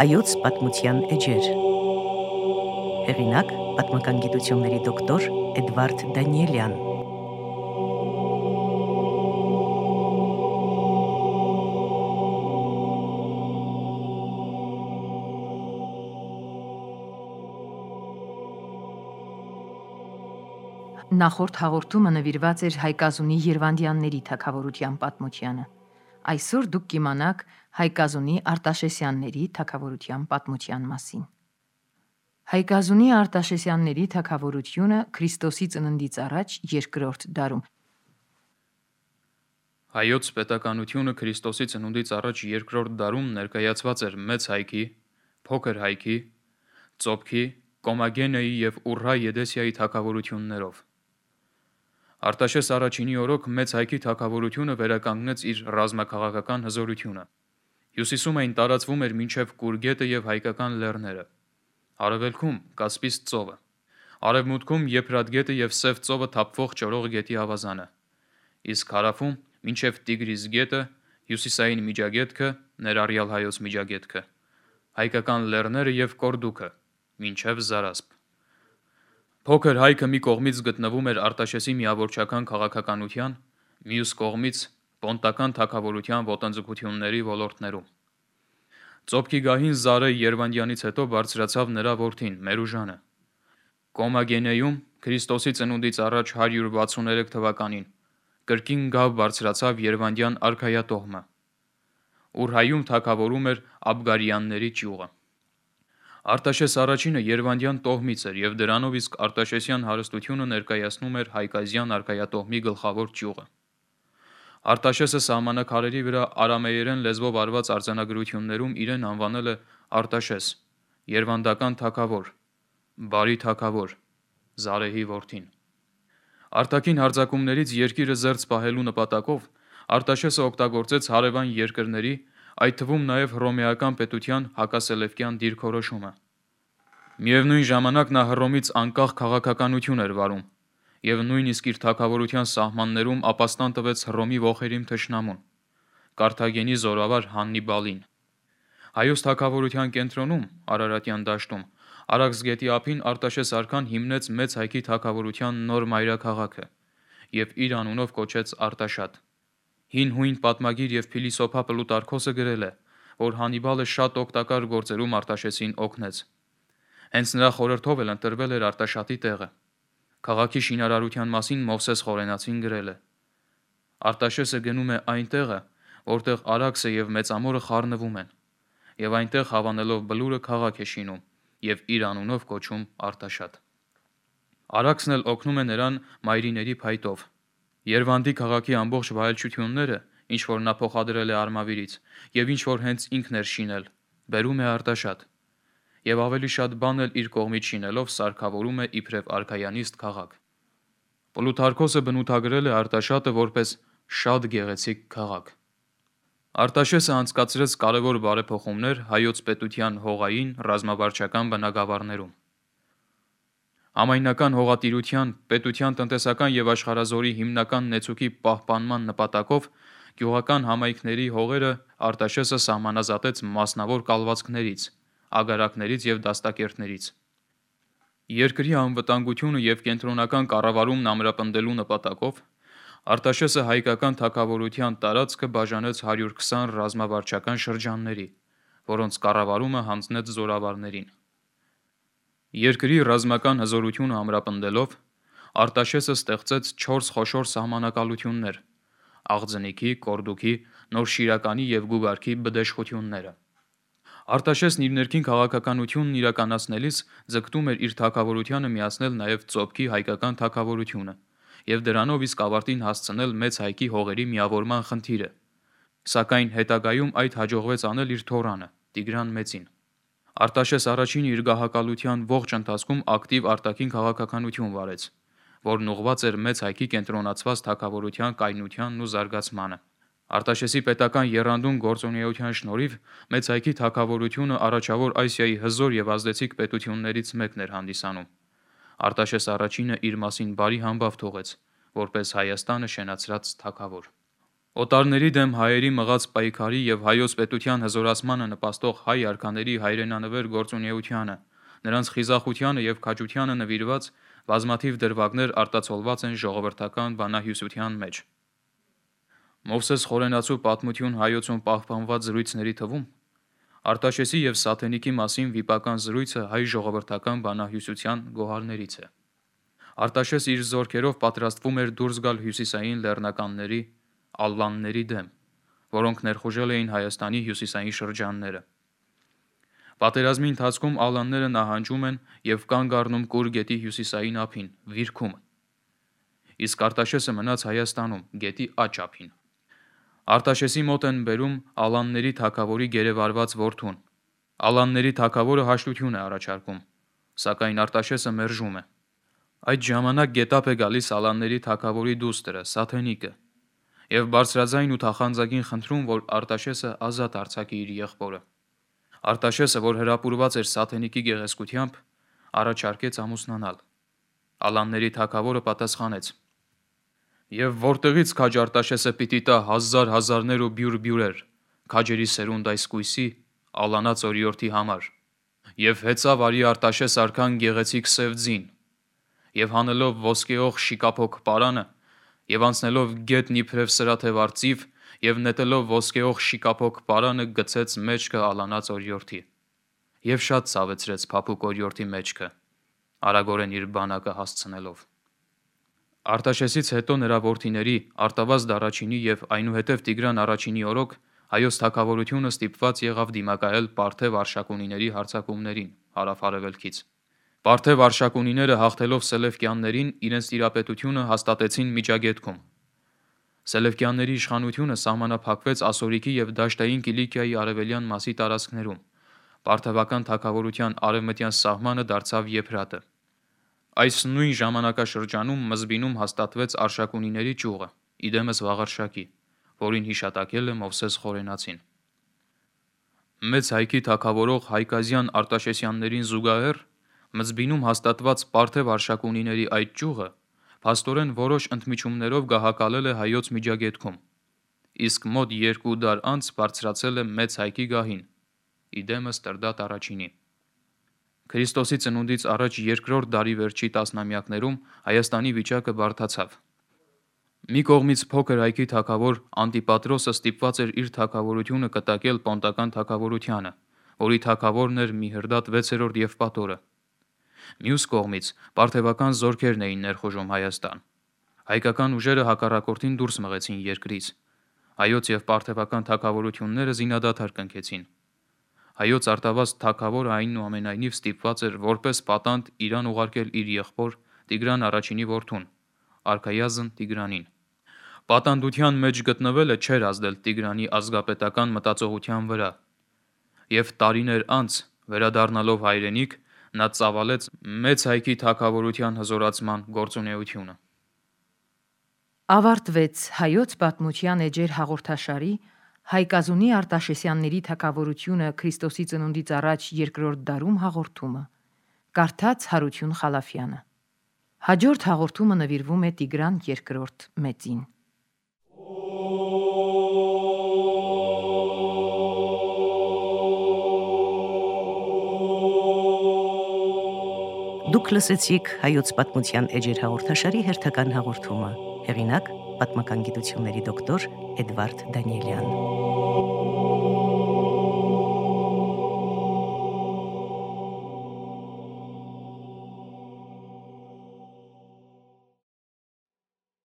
Հայոց պատմության էջեր։ Հեղինակ պատմական գիտությունների դոկտոր Էդվարդ Դանիելյան։ Նախորդ հաղորդումը նվիրված էր Հայկազունի Երվանդյանների թագավորության պատմությանը։ Այսօր դուք կիմանաք Հայկազունի Արտաշեսյանների թագավորության պատմության մասին։ Հայկազունի Արտաշեսյանների թագավորությունը Քրիստոսի ծննդից առաջ երկրորդ դարում։ Հայոց պետականությունը Քրիստոսի ծնունդից առաջ երկրորդ դարում ներկայացված էր Մեծ Հայքի, Փոքր Հայքի, Ծոփքի, Կոմագենեի և Ուռհա Եդեսիայի թագավորություններով։ Արտաշես առաջինի օրոք Մեծ Հայքի թագավորությունը վերականգնեց իր ռազմաքաղաքական հզորությունը։ Հյուսիսում այն տարածվում էր մինչև Կուր գետը և հայկական լեռները։ Արևելքում Կասպից ծովը, արևմուտքում Եփրատ գետը և Սև ծովը թափվող ճորող գետի ավազանը, իսկ հարավում մինչև Տիգրիս գետը, հյուսիսային Միջագետքը, ներառյալ Հայոց Միջագետքը, հայկական լեռները և Կորդուքը, մինչև Զարասպ։ Փոքր Հայքը մի կողմից գտնվում էր Արտաշեսի միավորչական քաղաքականության, մյուս կողմից պոնտական թագավորության ոտնձգությունների ոլորտներում։ Ծոփքի գահին Զարե Երվանդյանից հետո բարձրացավ նրա որդին Մերուժանը։ Կոմագենեում Քրիստոսի ծնունդից առաջ 163 թվականին կրկին գավ բարձրացավ Երվանդյան արքայատոհմը։ Ուրհայում թագավորում էր Աբգարյանների ճյուղը։ Արտաշես առաջինը Երվանդյան տոհմից էր և դրանով իսկ Արտաշեսյան հարստությունը ներկայացնում էր Հայկազյան արքայատոհմի գլխավոր ճյուղը։ Արտաշեսը սահմանակարերի վրա արամեերեն լեզվով արված արձանագրություններում իրեն անվանել է Արտաշես, Երվանդական թագավոր, բարի թագավոր, Զարեհի որդին։ Արտաքին հարձակումներից երկիրը զերծ պահելու նպատակով Արտաշեսը օգտագործեց հարևան երկրների, այդ թվում նաև հռոմեական պետության հակասելևկյան դիրքորոշումը։ Միևնույն ժամանակ նա Հռոմից անկախ քաղաքականություն էր վարում և նույնիսկ իր թագավորության սահմաններում ապաստան տվեց Հռոմի ոխերիմ թշնամուն՝ Կարթագենի զորավար Հաննիբալին։ Հայոց թագավորության կենտրոնում, Արարատյան դաշտում, Արաքս գետի ափին Արտաշես արքան հիմնեց Մեծ Հայքի թագավորության նոր մայրաքաղաքը և իր անունով կոչեց Արտաշատ։ Հին հույն պատմագիր և փիլիսոփա Պլուտարքոսը գրել է, որ Հաննիբալը շատ օգտակար գործերում Արտաշեսին օգնեց։ Հենց նրա խորհրդով էլ ընտրվել էր Արտաշատի տեղը։ Քաղաքի շինարարության մասին Մովսես Խորենացին գրել է. Արտաշեսը գնում է այն տեղը, որտեղ Արաքսը և Մեծամորը խառնվում են, և այնտեղ հավանելով բլուրը քաղաք է շինում և իր անունով կոչում Արտաշատ։ Արաքսն էլ օգնում է նրան մայրիների փայտով։ Երվանդի քաղաքի ամբողջ վայելչությունները, ինչ որ նա փոխադրել է Արմավիրից, և ինչ որ հենց ինքն էր շինել, բերում է Արտաշատ, և ավելի շատ բան էլ իր կողմից շինելով սարքավորում է իբրև արքայանիստ քաղաք։ Պլուտարքոսը բնութագրել է Արտաշատը որպես շատ գեղեցիկ քաղաք։ Արտաշեսը անցկացրեց կարևոր բարեփոխումներ հայոց պետության հողային, ռազմավարչական բնագավառներում։ Համայնական հողատիրության, պետության տնտեսական և աշխարհազորի հիմնական նեցուկի պահպանման նպատակով գյուղական համայնքների հողերը Արտաշեսը սահմանազատեց մասնավոր կալվածքներից, ագարակներից և դաստակերտներից։ Երկրի անվտանգությունը և կենտրոնական կառավարումն ամրապնդելու նպատակով Արտաշեսը հայկական թագավորության տարածքը բաժանեց 120 ռազմավարչական շրջանների, որոնց կառավարումը հանձնեց զորավարներին։ Երկրի ռազմական հզորությունը ամրապնդելով Արտաշեսը ստեղծեց 4 խոշոր սահմանակալություններ՝ Աղձնիքի, Կորդուքի, Նոր Շիրականի և Գուգարքի բդեշխությունները։ Արտաշեսն իր ներքին քաղաքականությունն իրականացնելիս ձգտում էր իր թագավորությանը միացնել նաև Ծոփքի հայկական թագավորությունը և դրանով իսկ ավարտին հասցնել Մեծ Հայքի հողերի միավորման խնդիրը, սակայն հետագայում այդ հաջողվեց անել իր թոռանը՝ Տիգրան Մեծին։ Արտաշես առաջինը իր գահակալության ողջ ընթացքում ակտիվ արտաքին քաղաքականություն վարեց, որն ուղղված էր Մեծ Հայքի կենտրոնացված թագավորության կայունությանն ու զարգացմանը։ Արտաշեսի պետական եռանդուն գործունեության շնորհիվ Մեծ Հայքի թագավորությունը Առաջավոր Ասիայի հզոր և ազդեցիկ պետություններից մեկն էր հանդիսանում։ Արտաշես առաջինը իր մասին բարի համբավ թողեց, որպես Հայաստանը շենացրած թագավոր։ Օտարների դեմ հայերի մղած պայքարի եւ հայոց պետության հզորացմանը նպաստող հայ արքաների հայրենանվեր գործունեությանը, նրանց խիզախությանը եւ քաջությանը նվիրված բազմաթիվ դրվագներ արտացոլված են ժողովրդական բանահյուսության մեջ։ Մովսես Խորենացու պատմություն հայոցում պահպանված զրույցների թվում Արտաշեսի եւ Սաթենիկի մասին վիպական զրույցը հայ ժողովրդական բանահյուսության գոհարներից է։ Արտաշես իր զորքերով պատրաստվում էր դուրս գալ հյուսիսային լեռնականների ալլանների դեմ, որոնք ներխուժել էին Հայաստանի հյուսիսային շրջանները։ Պատերազմի ընթացքում ալանները նահանջում են եւ կանգ առնում Կուր գետի հյուսիսային ափին, Վիրքում։ Իսկ Արտաշեսը մնաց Հայաստանում, գետի աջ ափին։ Արտաշեսի մոտ են բերում ալանների թագավորի գերեվարված որդուն։ Ալանների թագավորը հաշտություն է առաջարկում, սակայն Արտաշեսը մերժում է։ Այդ ժամանակ գետապ է գալիս ալանների թագավորի դուստրը, Սաթենիկը, եւ բարձրաձայն ու թախանձագին խնդրում, որ Արտաշեսը ազատ արձակի իր եղբորը։ Արտաշեսը, որ հրապուրված էր Սաթենիկի գեղեցկությամբ, առաջարկեց ամուսնանալ։ Ալանների թագավորը պատասխանեց. «Եվ որտեղից քաջ Արտաշեսը պիտի տա հազարներ ու բյուր, քաջերի սերունդ այս կույսի, ալանած օրիորդի համար, եւ հեծավ արի Արտաշես արքան գեղեցիկ սև ձին, եւ հանելով ոսկեող շիկափոք պարանը, եւ անցնելով գետն իբրև սրաթև արծիվ, եւ նետելով ոսկեող շիկափոք պարանը գցեց մեջքը ալանած օրիորդի, եւ շատ ցավեցրեց փափուկ օրիորդի մեջքը, արագորեն իր բանակը հասցնելով»։ Արտաշեսից հետո նրա որդիների Արտավազդ առաջինի եւ այնուհետև Տիգրան առաջինի օրոք հայոց թագավորությունը ստիպված եղավ դիմակայել Պարթև արշակունիների հարձակումներին հարավ-արևելքից։ Պարթև արշակունիները հաղթելով Սելևկյաններին իրենց տիրապետությունը հաստատեցին Միջագետքում։ Սելևկյանների իշխանությունը սահմանափակվեց Ասորիքի եւ Դաշտային Կիլիկիայի արևելյան մասի տարածքներում։ Պարթևական թագավորության արևմտյան սահմանը դարձավ Եփրատը։ Այս նույն ժամանակաշրջանում Մզբինում հաստատվեց Արշակունիների ճյուղը, իդեմս Վաղարշակի, որին հիշատակել է Մովսես Խորենացին։ Մեծ հայքի թագավորող Հայկազյան Արտաշեսյաններին զուգահեռ Մզբինում հաստատված Պարթև Արշակունիների այդ ճյուղը փաստորեն որոշ ընդմիջումներով գահակալել է հայոց Միջագետքում, իսկ մոտ 2 դար անց բարձրացել է մեծ հայքի գահին, իդեմս Տրդատ առաջինի։ Քրիստոսի ծնունդից առաջ 2-րդ դարի վերջի տասնամյակներում Հայաստանի վիճակը բարդացավ։ Մի կողմից փոքր հայքի թագավոր Անտիպատրոսը ստիպված էր իր թագավորությունը կտակել Պոնտական թագավորությանը, որի թագավորն էր Միհրդատ 6-րդ Եվպատորը։ Մյուս կողմից պարթևական զորքերն էին ներխուժում Հայաստան։ Հայկական ուժերը հակառակորդին դուրս մղեցին երկրից։ Հայոց եւ պարթևական թագավորությունները զինադադար կնքեցին։ Հայոց Արտավազդ թագավորը այնուամենայնիվ ստիպված էր որպես պատանդ Իրան ուղարկել իր եղբոր Տիգրան առաջինի որդուն, Արքայազն Տիգրանին։ Պատանդության մեջ գտնվելը չէր ազդել Տիգրանի ազգապետական մտածողության վրա, եւ տարիներ անց, վերադառնալով հայրենիք, նա ծավալեց մեծ հայքի թագավորության հզորացման գործունեությունը։ Ավարտվեց հայոց պատմության էջեր հաղորդաշարի Հայկազունի Արտաշեսյանների թագավորությունը Քրիստոսի ծնունդից առաջ 2-րդ դարում հաղորդումը։ Կարդաց Հարություն Խալաֆյանը։ Հաջորդ հաղորդումը նվիրվում է Տիգրան II մեծին։ Դուք լսեցիք հայոց պատմության էջեր հաղորդաշարի հերթական հաղորդումը։ Հեղինակ պատմական գիտությունների դոկտոր Էդվարդ Դանիելյան։